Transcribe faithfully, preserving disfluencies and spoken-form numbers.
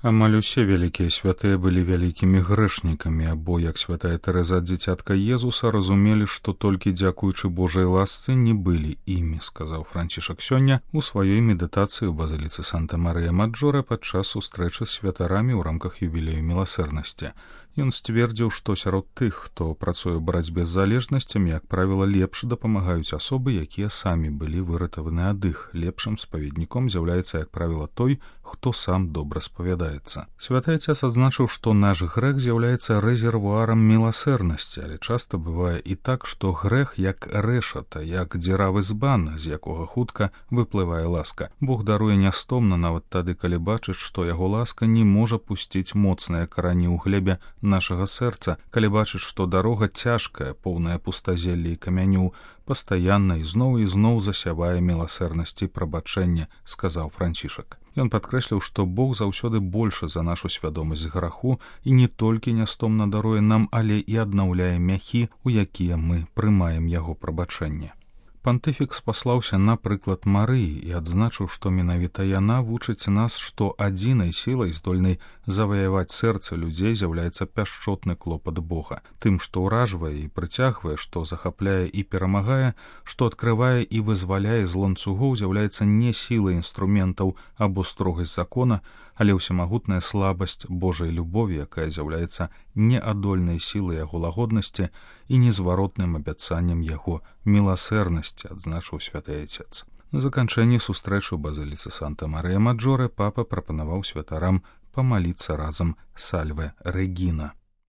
Амаль усе вялікія святыя былі вялікімі грэшнікамі, або, як святая Тэрэза ад дзіцятка Езуса, разумелі, што толькі дзякуючы Божай ласцы не былі імі, сказаў Францішак сёння у сваёй медытацыі ў базыліцы Санта-Марыя-Маджоре падчас сустрэчы з святарамі ў рамках юбілею міласэрнасці. Ён сцвердзіў, што сярод тых, хто працуе ў барацьбе з залежнасцямі, як правіла, лепш дапамагаюць асобы, якія самі былі выратаваны ад іх. Лепшым спаведніком з'яўляецца, як правіла, той, хто сам добра спавядаецца. Святы Ацец адзначыў, што наш грэх з'яўляецца рэзервуарам міласэрнасці, але часта бывае і так, што грэх як рэшата, як дзіравы збан, з якога хутка выплывае ласка. Бог даруе нястомна нават тады, калі бачыць, што яго ласка не можа пусціць моцныя карані ў глебе нашага сэрца, калі бачыць, што дарога цяжкая, поўная пустазелля і камяню, пастаянна і зноў і зноў засявае міласэрнасць і прабачэнне, сказаў Францішак. Ён падкрэсліў, што Бог заўсёды большы за нашу свядомасць граху і не толькі нястомна даруе нам, але і аднаўляе мяхі, у якія мы прымаем яго прабачэнне. Пантыфік спаслаўся на прыклад Марыі і адзначыў, што менавіта яна вучыць нас, што адзінай сілай, здольнай заваяваць сэрца людзей, з'яўляецца пяшчотны клопат Бога. Тым, што ўражвае і прыцягвае, што захапляе і перамагае, што адкрывае і вызваляе з ланцугоў, з'яўляецца не сіла інструментаў або строгасць закона, але ўсемагутная слабасць Божай любові, якая з'яўляецца неадольнай сілай яго лагоднасці і незваротным абяцаннем яго міласэрнасці, адзначыў святы Ацец. На заканчэнні сустрэчы ў базыліцы Санта-Марыя-Маджоре папа прапанаваў святарам памаліцца разам Сальве Рэгіна.